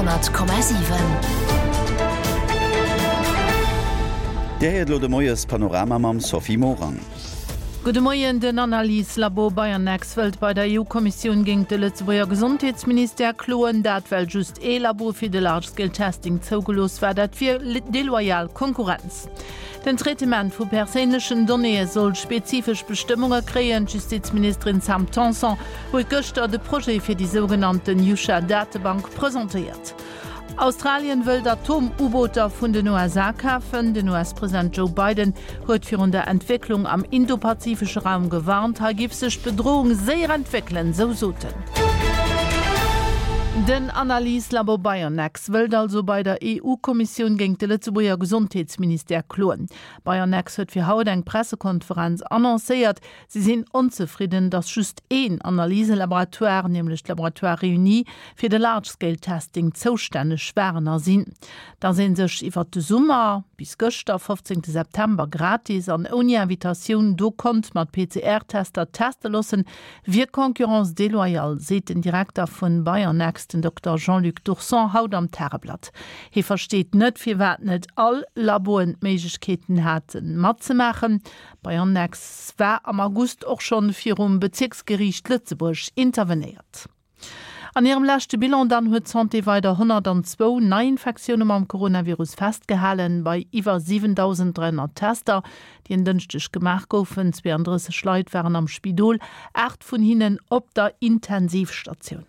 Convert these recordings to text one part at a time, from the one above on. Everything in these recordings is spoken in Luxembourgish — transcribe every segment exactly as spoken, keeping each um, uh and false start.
honnert Komma siwen. Dir héiert elo de Moies-Panorama mam Sophie Morang. Gudde Moien, Den Analyse-Labo BioNext wëllt bei der EU-Kommissioun géint de Lëtzebuerger Gesondheetsministère kloen. Dat well just ee Labo fir de Large-Scale Testing zougelooss war. Dat wier deloyal Konkurrenz. Den Traitement vu perséinlechen Donnéeë soll spezifesch Bestëmmunge kréien. D'Justizministerin Sam Tanson huet gëschter de Projet fir déi sougenannten Yusha-Datebank presentéiert. Australien wëllt Atom-U-Booter vun den U S A kafen. Den U S-President Joe Biden huet virun der Entwécklung am indopazifesche Raum gewarnt. Hei giff sech d'Bedroung séier entwéckelen, sou sot en. Den Analyse-Labo Bionex wëllt also bei der E U-Kommissioun géint de Lëtzebuerger Gesondheetsministère kloen. Bionex huet fir haut eng Pressekonferenz annoncéiert. Si sinn onzefridden, datt just een Analyselaboratoire, nämlech d'Laboratoire Réuni, fir de Large-Scale-Testing zoustänneg waren a sinn. Datt ee sech iwwer de Summer bis gëschter, fofzéngte September, gratis an ouni Invitatioun do konnt mat P C R-Tester teste loossen, wier Concurrence déloyale, seet den Direkter vun Bionex, den Dokter Jean-Luc Dourson, haut am Tageblatt. Hie versteet net, firwat net all Laboen d'Méiglechkeeten haten matzemaachen. Bionex war am August och schonn virum Bezirksgeriicht Lëtzebuerg intervenéiert. An hirem leschte Bilan dann huet d'Santé weider honnertandzwou Neiinfektioune mam Coronavirus festgehalen, bei iwwer siwentausenddräihonnert Tester, déi en Dënschdeg gemaach goufen. zweiunddrësseg Leit waren am Spidol, acht vun hinnen op der Intensivstatioun.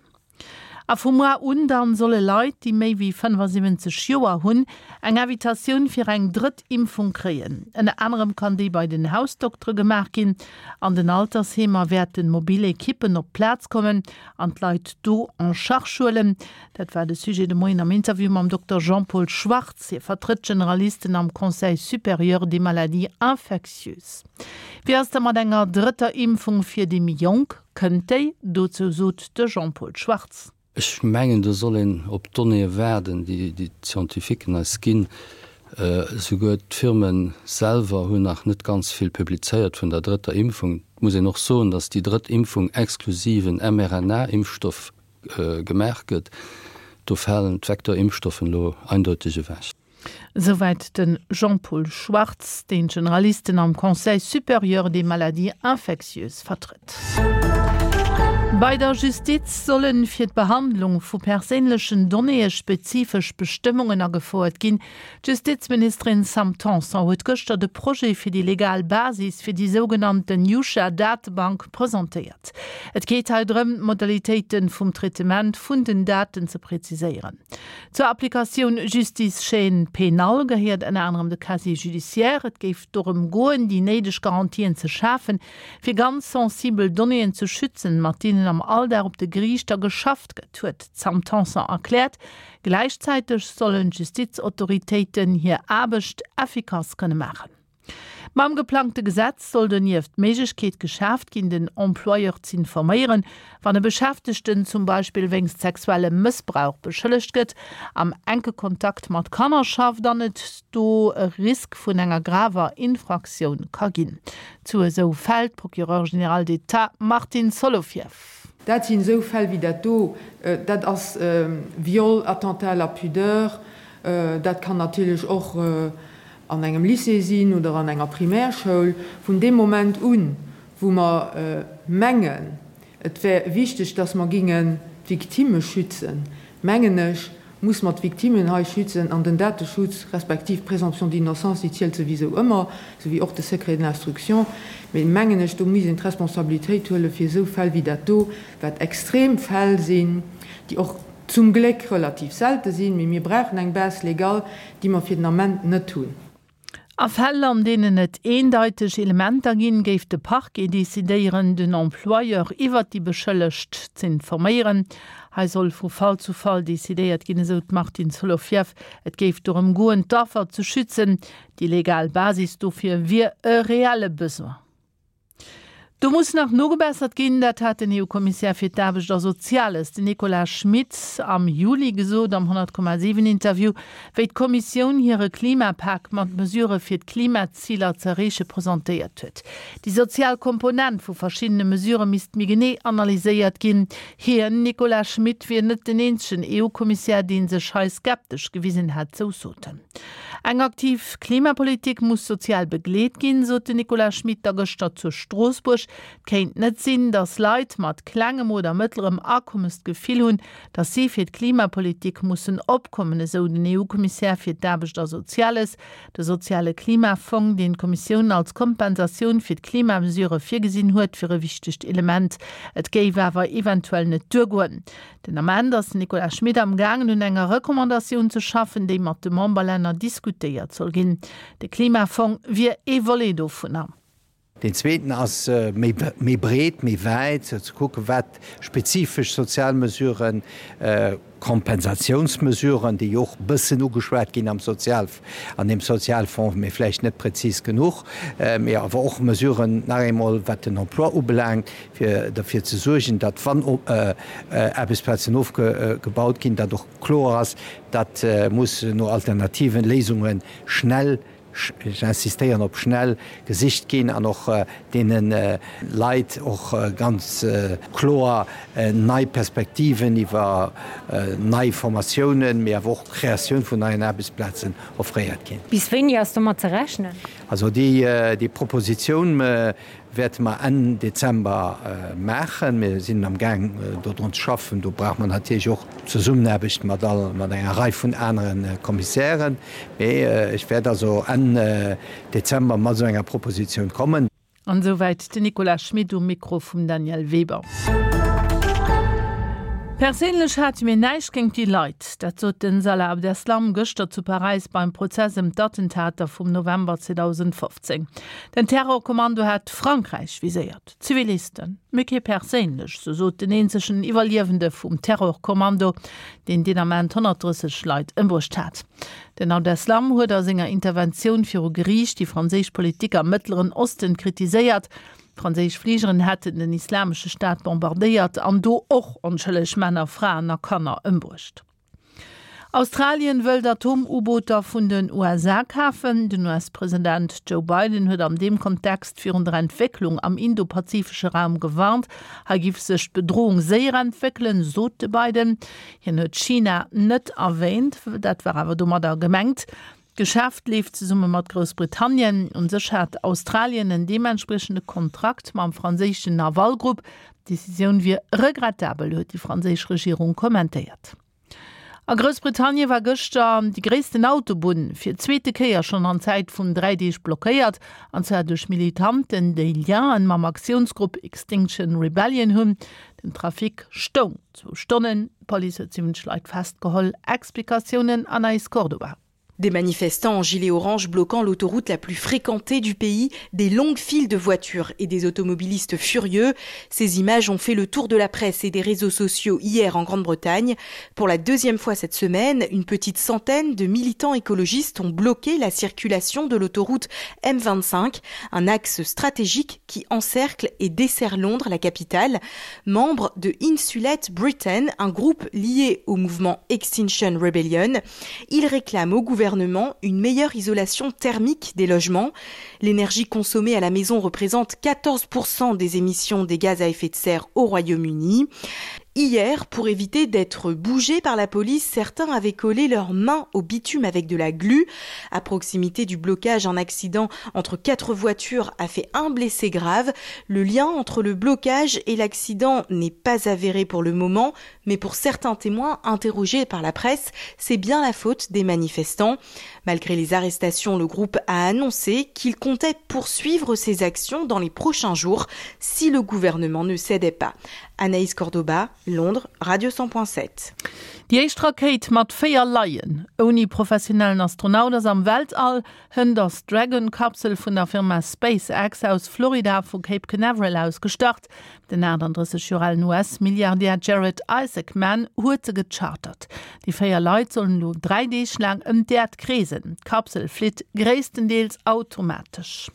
A vum Mois un dann solle Leit, déi méi wéi fënnefasiwwenzeg Joer hunn, eng Invitatioun fir eng drëtt Impfung kréien. Ënner anerem kann déi bei den Hausdoktere gemaach ginn. An den Altersheemer wäerten mobil Ekippen op d'Plaz kommen an d'Leit do en charge huelen. Dat war de Sujet de Moien am Interview mam Dokter Jean-Paul Schwartz. Hie vertrëtt Generalisten am Conseil supérieur des maladies infectieuses. Wie ass da mat enger drëtter Impfung fir déi méi Jonk? Kënnt déi? Dozou sot de Jean-Paul Schwartz. Ech mengen, do soll een op d'Donnéeë waarden, déi déi Scientifiquen eis ginn. Esouguer d'Firmen selwer hunn nach net ganz vill publizéiert vun der drëtter Impfung. Et muss een och soen, datt déi drëtt Impfung exklusiv en M R N A-Impfstoff gemaach gëtt. Do falen d'Vektorimpfstoffen elo eindeutig ewech. Soweit den Jean-Paul Schwartz, den Generalisten am Conseil supérieur des maladies infectieuses vertritt. Bei der Justiz sollen fir d'Behandlung vu perséinlechen Donnéeë spezifesch Bestëmmungen agefouert ginn. D'Justizministerin Sam Tanson huet gëschter de Projet fir déi legal Basis fir déi sougenannten Yusha-Datebank presentéiert. Et geet hei drëm, d'Modalitéiten vum Traitement vun den Daten ze präziséieren. Zur Applikatioun Justice Chaîne Pénale gehéiert ënner anerem de Casier judiciaire. Et géif dorëm goen, déi néideg Garantien ze schafen, fir ganz sensibel Donnéeën ze schützen, mat deenen am Alldag op de Geriichter geschafft gëtt, huet Sam Tanson erkläert. Gleichzeitig sollen Justizautoritéiten hir Aarbecht effikass kënne maachen. Mam geplangte Gesetz soll donieft d'Méiglechkeet geschaaft ginn, den Employeur ze informéieren, wann e Beschäftegten zum Beispill wéinst sexuellem Mëssbrauch beschëllegt gëtt, am enke Kontakt mat Kanner schafft an et do e Risk vun enger graver Infraktioun ka ginn. Zu esou Fäll d'Procureur général d'État Martine Solovieff. Dat sinn esou Fäll wéi dat do, dat ass Viol, Attentat à la pudeur, dat kann natierlech och an engem Lycée sinn oder an enger Primärschoul. Vun dem Moment un, wou mer mengen, et wär wichteg, dass mer gingen d'Victime schützen, mengen ech, muss mer d'Victimen hei schützen an den Dateschutz respektiv Présomption d'innocence, déi zielt sowieso ëmmer, souwéi och de Secret de l'instruction. Mee mengen ech, do muss een d'Responsabilitéit huelen fir esou Fäll wéi dat do, wat extrem Fäll sinn, déi och zum Gléck relativ selte sinn, mee mir brauchen eng Base légale, déi mer fir den Ament net hunn. A Fäll, an deenen et eendeitig Elementer ginn, géif de Parquet decidéieren, den Employeur iwwer déi Beschëllegt ze informéieren. Hei soll vu Fall zu Fall decidéiert ginn, esou d'Martine Solovieff. Et géif dorëm goen, d'Affer ze schützen. Déi legal Basis dofir wier e reelle Besoin. Do muss nach nogebessert ginn, dat hat den EU-Kommissär fir d'Aarbecht a Soziales, den Nicolas Schmit, am Juli gesot am honnert Komma siwen Interview, wéi d'Kommissioun hire Klimapak mat Mesurë fir d'Klimaziler z'erreeche presentéiert huet. Déi sozial Komponent vu verschiddene Mesurë misst méi genee analyséiert ginn. Hien, Nicolas Schmit, wier net den eenzegen EU-Kommissär, dee sech hei skeptesch gewisen hätt, sou sot en. Eng aktiv Klimapolitik muss sozial begleet ginn, sot den Nicolas Schmit da gëschter zu Stroossbuerg. Et kéint net sinn, datt Leit mat klengem oder mëttlerem Akommes d'Gefill hunn, datt si fir d'Klimapolitik mussen opkommen, esou den EU-Kommissär fir d'Aarbecht a Soziales. De soziale Klimafong, deen d'Kommissioun als Kompensatioun fir d'Klimamesurë virgesinn huet, wier e wichtegt Element. Et géif awer eventuell net duergoen. Den Ament ass den Nicolas Schmit am gaangen un enger Recommandatioun ze schaffen, déi mat de Memberlänner diskutéiert soll ginn. De Klimafong wier ee Volet dovunner. Deen zweeten ass méi breet, méi wäit, ze kucken, wat spezifesch sozial Mesuren, Kompensatiounsmesuren, déi jo och e bëssen ugeschwat ginn am Sozial, an deem Sozialfonds, mee vläicht net prezis genuch, mee awer och Mesuren nach eemol, wat den Emploi ubelaangt, fir derfir ze suergen, datt, wann Aarbechtsplazen ofgebaut ginn, datt och kloer ass, datt muss no alternativen Léisunge schnell, ech insistéieren op schnell, gesicht ginn an och deene Leit och ganz kloer nei Perspektiven iwwer nei Formatiounen, mee awer och Kreatioun vun neien Aarbechtsplazen offréiert ginn. Bis wéini ass domat ze rechnen? Also déi Propositioun wäerte mer Enn Dezember maachen. Mir sinn am Gaang dodrun ze schaffen. Do brauche mer natierlech och d'Zesummenaarbecht mat all, mat enger Rei vun anere Kommissären. Mee ech wäert also Enn Dezember mat esou enger Propositioun kommen. An esouwäit den Nicolas Schmit um Mikro vum Danièle Weber. Perséinlech hate mir näischt géint déi Leit. Dat sot den Salah Abdeslam gëschter zu Paräis beim Prozess ëm d'Attentater vum November zweedausendfofzéng. Den Terrorkommando hat Frankräich viséiert, Zivilisten, mee kee perséinlech, sou sot den eenzegen Iwwerliewende vum Terrorkommando, deen deen Ament honnertdrësseg Leit ëmbruecht hat. Den Abdeslam huet a senger Interventioun viru Geriicht déi franséisch Politik am Mëttleren Osten kritiséiert. Franséisch Fligeren hätten den Islamesche Staat bombardéiert an do och onschëlleg Männer, Fraen a Kanner ëmbruecht. Australien wëllt Atom-U-Booter vun den U S A kafen. Den U S-President Joe Biden huet an deem Kontext virun der Entwécklung am indopazifesche Raum gewarnt. Hei giff sech d'Bedroung séier entwéckelen, sot de Biden. Hien huet China net erwäänt, dat war awer domadder gemengt. D'Geschäft leeft zesumme mat Groussbritannien. Un sech hat Australien en deementspriechende Kontrakt mam franséischen Naval Group. D'Decisioun wier regrettabel, huet déi franséisch Regierung kommentéiert. A Groussbritannien war gëschter déi gréissten Autobunn fir d'zweete Kéier schonn an Zäit vun dräi Deeg blockéiert, an zwar duerch Militanten, déi Lienen mam Aktiounsgrupp Extinction Rebellion hunn. Den Trafic stoung zwou Stonnen, d'Police huet siwwenzeg Leit festgeholl. Explikatiounen, Anaïs Cordoba. Des manifestants en gilet orange bloquant l'autoroute la plus fréquentée du pays, des longues files de voitures et des automobilistes furieux. Ces images ont fait le tour de la presse et des réseaux sociaux hier en Grande-Bretagne. Pour la deuxième fois cette semaine, une petite centaine de militants écologistes ont bloqué la circulation de l'autoroute M vingt-cinq, un axe stratégique qui encercle et dessert Londres, la capitale. Membre de Insulate Britain, un groupe lié au mouvement Extinction Rebellion, il réclame au gouvernement une meilleure isolation thermique des logements. L'énergie consommée à la maison représente quatorze pour cent des émissions des gaz à effet de serre au Royaume-Uni. Hier, pour éviter d'être bougés par la police, certains avaient collé leurs mains au bitume avec de la glu. À proximité du blocage, un accident entre quatre voitures a fait un blessé grave. Le lien entre le blocage et l'accident n'est pas avéré pour le moment, mais pour certains témoins interrogés par la presse, c'est bien la faute des manifestants. Malgré les arrestations, le groupe a annoncé qu'il comptait poursuivre ses actions dans les prochains jours si le gouvernement ne cédait pas. Anaïs Cordoba, Londres, Radio cent point sept. Déi éischt Rakéit mat véier Laien ouni professionellen Astronaut ass am Weltall. Hënt ass d'Dragon-Kapsel vun der Firma SpaceX aus Florida vu Cape Canaveral aus gestart. Den achtandrësseg Joer alen U S-Milliardär Jared Isaacman huet se gechartert. Déi véier Leit sollen elo dräi Deeg laang ëm d'Äerd kreesen. D'Kapsel flitt gréisstendeels automatesch.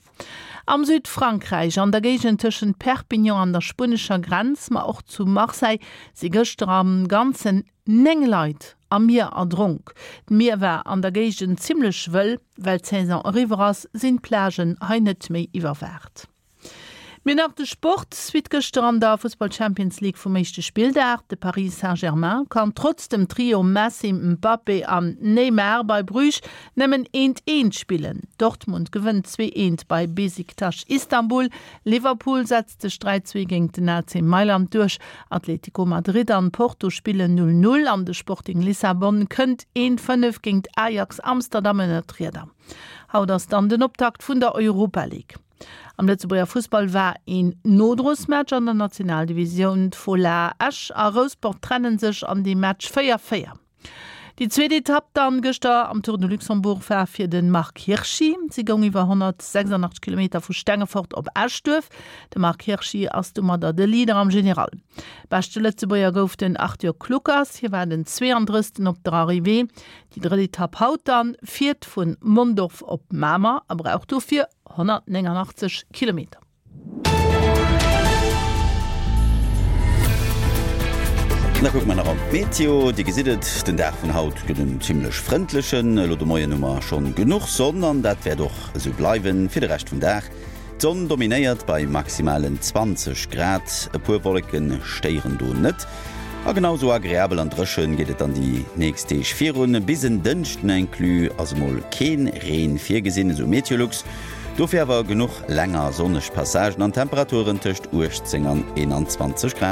Am Südfrankräich, an der Géigend tëschent Perpignan an der spuenescher Grenz, ma och zu Marseille, si gëschter am Ganzen néng Leit am Mier erdronk. D'Mier war an der Géigend zimmlech wëll. Well d'Saison eriwwer ass, sinn d'Plagen hei net méi iwwerwaacht. Mir nach de Sport, Suite gëschter an der Fussball Champions League vum éischte Spilldag. De Paris Saint-Germain kann trotz dem Trio Messi, Mbappé an Neymar bei Bruges nëmmen eent eent spillen. Dortmund gewënnt zwee eent bei Besiktas Istanbul. Liverpool setzt sech dräi zwee géint den A C Mailand duerch. Atlético Madrid an Porto spillen null null an de Sporting Lissabon kënnt eent fënnef géint Ajax Amsterdam ënnert d'Rieder. Haut ass dann den Optakt vun der Europa League. Am Lëtzebuerger Fussball war een Nodrosmatch an der Nationaldivisioun. D'Fola Esch a Rouspert trenne sech an deem Match véier véier. Déi zweet Etapp dann gëschter am Tour de Luxembourg war fir de Marc Hirschi. Si goung iwwer honnertsechsundachtzeg Kilometer vu Stengefort op Eschduerf. De Marc Hirschi ass domadder de Leader am General. Beschte Lëtzebuerger gouf den Arthur Kluckers, hie war den zweeandrëssten op der Arrivée. Déi drëtt Etapp haut dann fiert vun Mondorf op Mamer a brauch dofir honnertnéngundachtzeg Kilometer. Da kucke mer nach op d'Meteo. Dir gesitt et, den Dag vun haut gëtt en zimmlech frëndlechen. Elo de Moien hu mer schonn genuch Sonn an dat wäert och esou bleiwen fir de Rescht vum Dag. D'Sonn dominéiert bei maximalen zwanzeg Grad, e puer Wolleke stéieren do net. A genau sou agreabel an dréchen geet et dann déi nächst Deeg virun. Bis en Dënschden inclus ass emol keen Reen virgesinn, esou Meteolux. Dofir awer genuch länger sonneg Passagen an Temperaturen tëscht uechtzéng an eenanzwanzeg Grad.